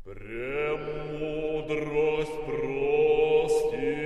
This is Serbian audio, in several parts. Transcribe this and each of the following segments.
Премудрость прости.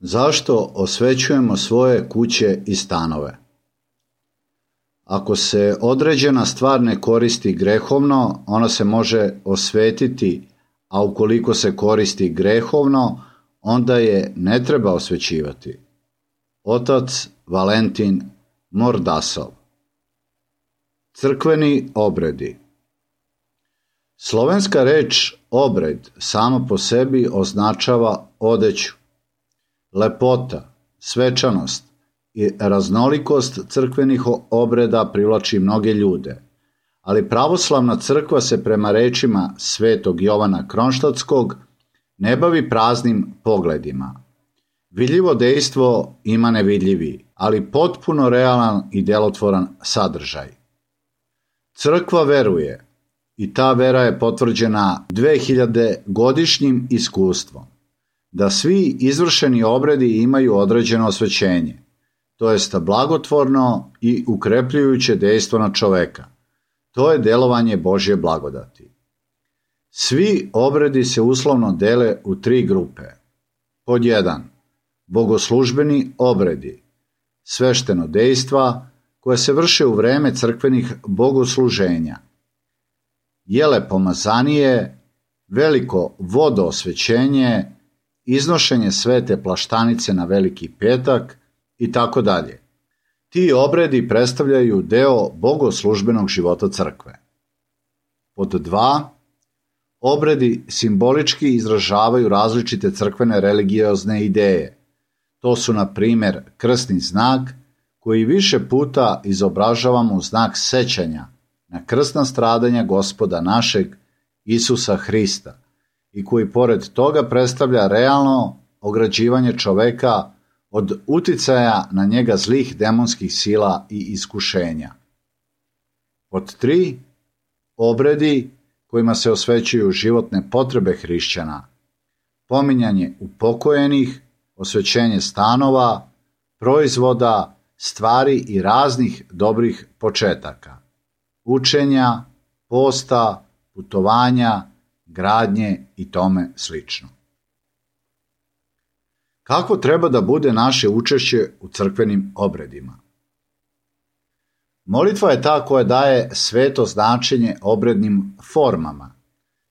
Zašto osvećujemo svoje kuće i stanove? Ako se određena stvar ne koristi grehovno, ona se može osvetiti, a ukoliko se koristi grehovno, onda je ne treba osvećivati. Otac Valentin Mordasov. Crkveni obredi. Slovenska reč obred sama po sebi označava odeću. Lepota, svečanost i raznolikost crkvenih obreda privlači mnoge ljude, ali pravoslavna crkva se prema rečima svetog Jovana Kronštadtskog ne bavi praznim pogledima. Vidljivo dejstvo ima nevidljivi, ali potpuno realan i delotvoran sadržaj. Crkva veruje, i ta vera je potvrđena 2000-godišnjim iskustvom, da svi izvršeni obredi imaju određeno osvećenje, to jest blagotvorno i ukrepljujuće dejstvo na čoveka. To je delovanje Božje blagodati. Svi obredi se uslovno dele u 3 grupe. Pod 1. Bogoslužbeni obredi, svešteno dejstva koje se vrše u vreme crkvenih bogosluženja. Jele pomazanije, veliko vodoosvećenje, iznošenje svete plaštanice na Veliki petak i tako dalje. Ti obredi predstavljaju deo bogoslužbenog života crkve. Pod 2. Obredi simbolički izražavaju različite crkvene religiozne ideje. To su, na primjer, krstni znak, koji više puta izobražavamo u znak sećanja na krsna stradanja Gospoda našeg Isusa Hrista i koji pored toga predstavlja realno ograđivanje čoveka od uticaja na njega zlih demonskih sila i iskušenja. Pod 3. Obredi kojima se osvećuju životne potrebe hrišćana, pominjanje upokojenih, osvećenje stanova, proizvoda, stvari i raznih dobrih početaka, učenja, posta, putovanja, gradnje i tome slično. Kako treba da bude naše učešće u crkvenim obredima? Molitva je ta koja daje sveto značenje obrednim formama.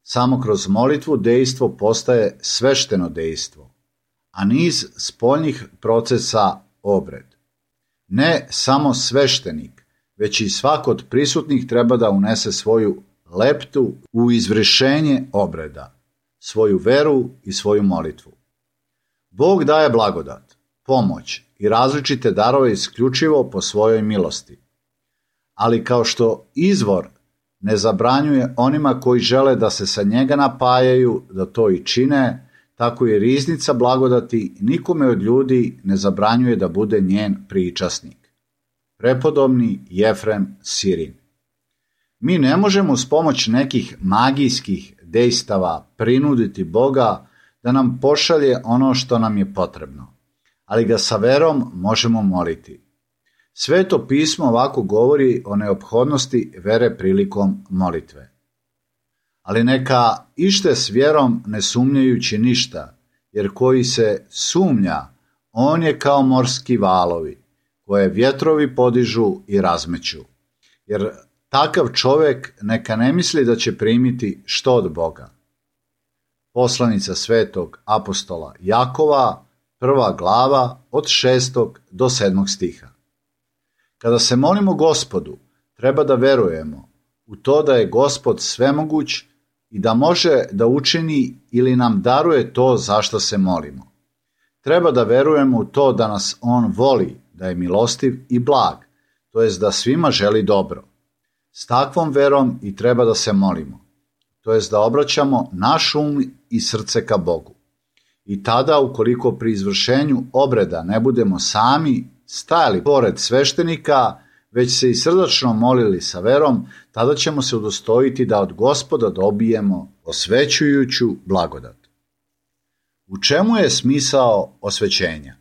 Samo kroz molitvu dejstvo postaje svešteno dejstvo, a niz spoljnih procesa obred. Ne samo sveštenik, već i svak od prisutnih treba da unese svoju leptu u izvršenje obreda, svoju veru i svoju molitvu. Bog daje blagodat, pomoć i različite darove isključivo po svojoj milosti. Ali kao što izvor ne zabranjuje onima koji žele da se sa njega napajaju da to i čine, tako i riznica blagodati nikome od ljudi ne zabranjuje da bude njen pričasnik. Prepodobni Jefrem Sirin. Mi ne možemo uz pomoć nekih magijskih dejstava prinuditi Boga da nam pošalje ono što nam je potrebno, ali ga sa verom možemo moliti. Sveto pismo ovako govori o neophodnosti vere prilikom molitve. Ali neka ište s vjerom ne sumnjajući ništa, jer koji se sumnja, on je kao morski valovi, koje vjetrovi podižu i razmeću. Jer takav čovjek neka ne misli da će primiti što od Boga. Poslanica svetog apostola Jakova, 1. glava od 6. do 7. stiha. Kada se molimo Gospodu, treba da verujemo u to da je Gospod svemoguć i da može da učini ili nam daruje to za što se molimo. Treba da verujemo u to da nas On voli, da je milostiv i blag, to jest da svima želi dobro. S takvom verom i treba da se molimo, to jest da obraćamo naš um i srce ka Bogu. I tada, ukoliko pri izvršenju obreda ne budemo sami stajali pored sveštenika, već se i srdačno molili sa verom, tada ćemo se udostojiti da od Gospoda dobijemo osvećujuću blagodat. U čemu je smisao osvećenja?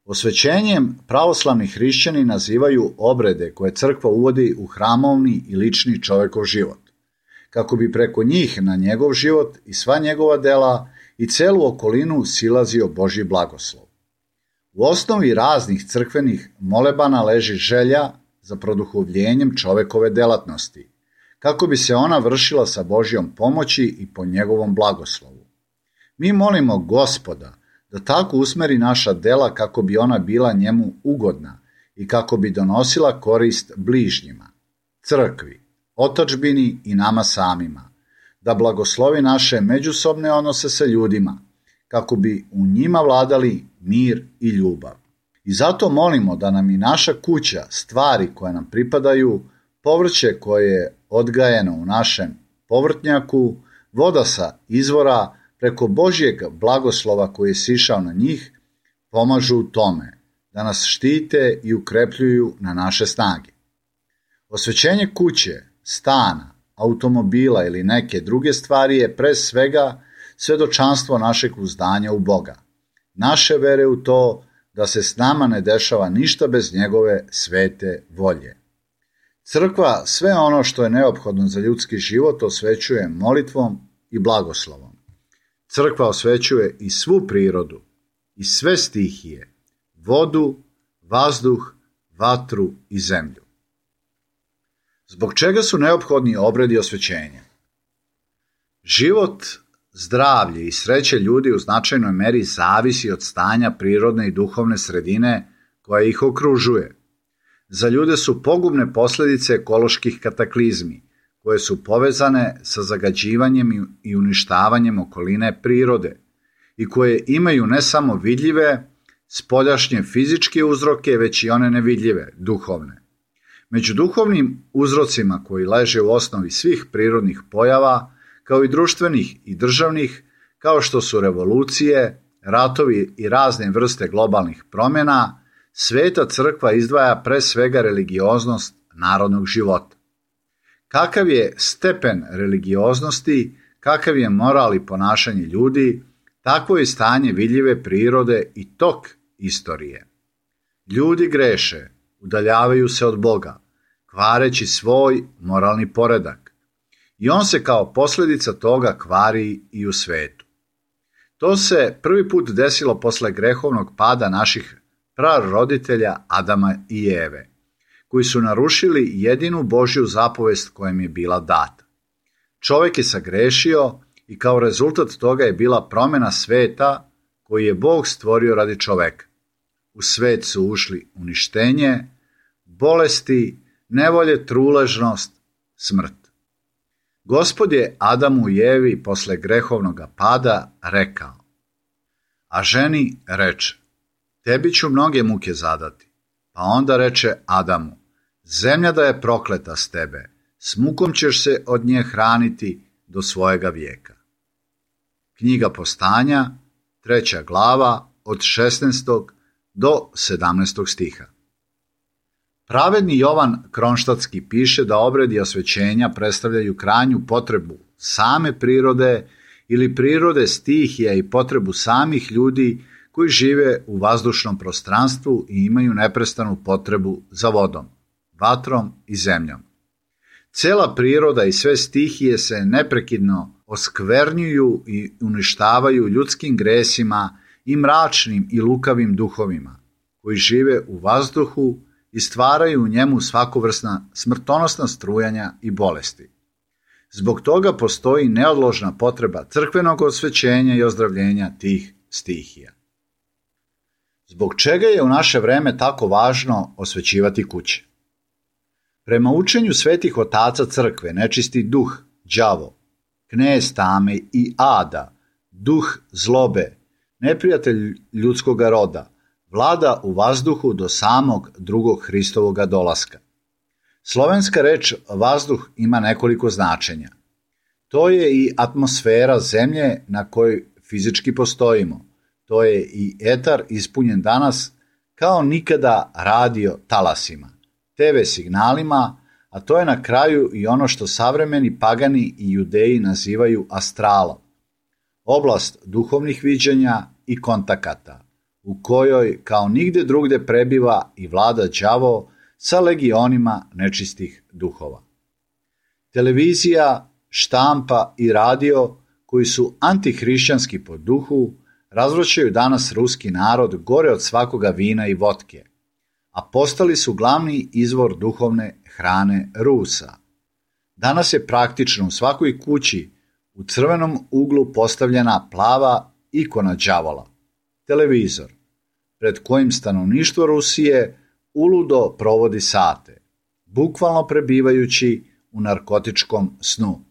Osvećenjem pravoslavni hrišćani nazivaju obrede koje crkva uvodi u hramovni i lični čovekov život, kako bi preko njih na njegov život i sva njegova dela i celu okolinu silazio Božji blagoslov. U osnovi raznih crkvenih molebana leži želja za produhovljenjem čovekove delatnosti, kako bi se ona vršila sa Božjom pomoći i po njegovom blagoslovu. Mi molimo Gospoda da tako usmeri naša dela kako bi ona bila njemu ugodna i kako bi donosila korist bližnjima, crkvi, otadžbini i nama samima, da blagoslovi naše međusobne odnose sa ljudima, kako bi u njima vladali mir i ljubav. I zato molimo da nam i naša kuća, stvari koje nam pripadaju, povrće koje je odgajeno u našem povrtnjaku, voda sa izvora, preko Božjeg blagoslova koji je sišao na njih, pomažu u tome, da nas štite i ukrepljuju na naše snage. Osvećenje kuće, stana, automobila ili neke druge stvari je pre svega svedočanstvo našeg uzdanja u Boga, naše vere u to da se s nama ne dešava ništa bez njegove svete volje. Crkva sve ono što je neophodno za ljudski život osvećuje molitvom i blagoslovom. Crkva osvećuje i svu prirodu, i sve stihije, vodu, vazduh, vatru i zemlju. Zbog čega su neophodni obredi osvećenja? Život, zdravlje i sreće ljudi u značajnoj meri zavisi od stanja prirodne i duhovne sredine koja ih okružuje. Za ljude su pogubne posljedice ekoloških kataklizmi, koje su povezane sa zagađivanjem i uništavanjem okoline prirode i koje imaju ne samo vidljive, spoljašnje fizičke uzroke, već i one nevidljive, duhovne. Među duhovnim uzrocima koji leže u osnovi svih prirodnih pojava, kao i društvenih i državnih, kao što su revolucije, ratovi i razne vrste globalnih promjena, Sveta crkva izdvaja pre svega religioznost narodnog života. Kakav je stepen religioznosti, kakav je moral i ponašanje ljudi, takvo je stanje vidljive prirode i tok istorije. Ljudi greše, udaljavaju se od Boga, kvareći svoj moralni poredak. I on se kao posljedica toga kvari i u svetu. To se prvi put desilo posle grehovnog pada naših praroditelja Adama i Eve, koji su narušili jedinu Božju zapovest koja im je bila data. Čovjek je sagrešio i kao rezultat toga je bila promjena sveta koji je Bog stvorio radi čoveka. U svet su ušli uništenje, bolesti, nevolje, truležnost, smrt. Gospod je Adamu i Evi posle grehovnog pada rekao, a ženi reče, tebi ću mnoge muke zadati. Pa onda reče Adamu, zemlja da je prokleta s tebe, s mukom ćeš se od nje hraniti do svojega vijeka. Knjiga Postanja, 3. glava, od 16. do 17. stiha. Pravedni Jovan Kronštatski piše da obredi osvećenja predstavljaju krajnju potrebu same prirode ili prirode stihija i potrebu samih ljudi koji žive u vazdušnom prostranstvu i imaju neprestanu potrebu za vodom, vatrom i zemljom. Cela priroda i sve stihije se neprekidno oskvernjuju i uništavaju ljudskim gresima i mračnim i lukavim duhovima, koji žive u vazduhu i stvaraju u njemu svakovrsna smrtonosna strujanja i bolesti. Zbog toga postoji neodložna potreba crkvenog osvećenja i ozdravljenja tih stihija. Zbog čega je u naše vreme tako važno osvećivati kuće? Prema učenju svetih otaca crkve, nečisti duh, đavo, knez tame i ada, duh zlobe, neprijatelj ljudskoga roda, vlada u vazduhu do samog drugog Hristovoga dolaska. Slovenska reč vazduh ima nekoliko značenja. To je i atmosfera zemlje na kojoj fizički postojimo. To je i etar ispunjen danas kao nikada radio talasima, TV signalima, a to je na kraju i ono što savremeni pagani i judeji nazivaju astralom. Oblast duhovnih viđenja i kontakata, u kojoj kao nigde drugde prebiva i vlada đavo sa legionima nečistih duhova. Televizija, štampa i radio, koji su antihrišćanski po duhu, razvraćaju danas ruski narod gore od svakoga vina i votke, a postali su glavni izvor duhovne hrane Rusa. Danas je praktično u svakoj kući u crvenom uglu postavljena plava ikona đavola, televizor, pred kojim stanovništvo Rusije uludo provodi sate, bukvalno prebivajući u narkotičkom snu,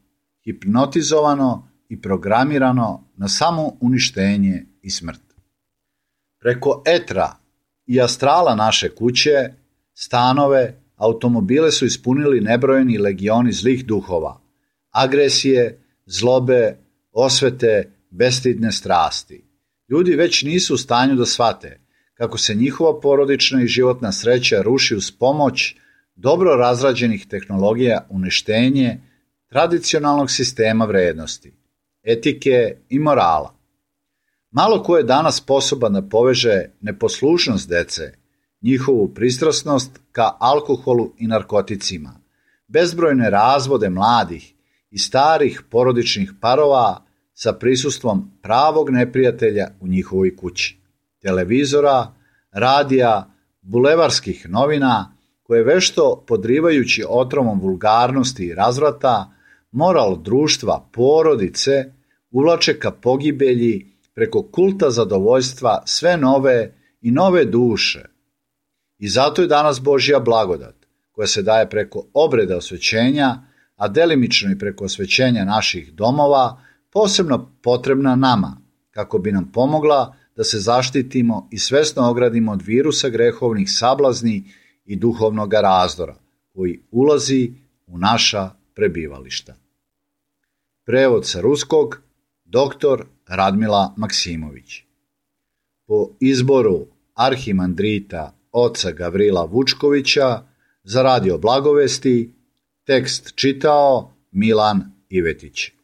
hipnotizovano i programirano na samo uništenje i smrt. Preko etra i astrala naše kuće, stanove, automobile su ispunili nebrojeni legioni zlih duhova, agresije, zlobe, osvete, bestidne strasti. Ljudi već nisu u stanju da shvate kako se njihova porodična i životna sreća ruši uz pomoć dobro razrađenih tehnologija uništenje tradicionalnog sistema vrednosti, etike i morala. Malo ko je danas sposoban da poveže neposlušnost dece, njihovu pristrasnost ka alkoholu i narkoticima, bezbrojne razvode mladih i starih porodičnih parova sa prisustvom pravog neprijatelja u njihovoj kući, televizora, radija, bulevarskih novina koje vešto podrivajući otrovom vulgarnosti i razvrata moral društva, porodice, uvlače ka pogibelji preko kulta zadovoljstva sve nove i nove duše. I zato je danas Božja blagodat, koja se daje preko obreda osvećenja, a delimično i preko osvećenja naših domova, posebno potrebna nama, kako bi nam pomogla da se zaštitimo i svesno ogradimo od virusa grehovnih sablazni i duhovnog razdora, koji ulazi u naša prebivališta. Prevod sa ruskog, dr. Radmila Maksimović. Po izboru arhimandrita oca Gavrila Vučkovića za Radio Blagovesti, tekst čitao Milan Ivetić.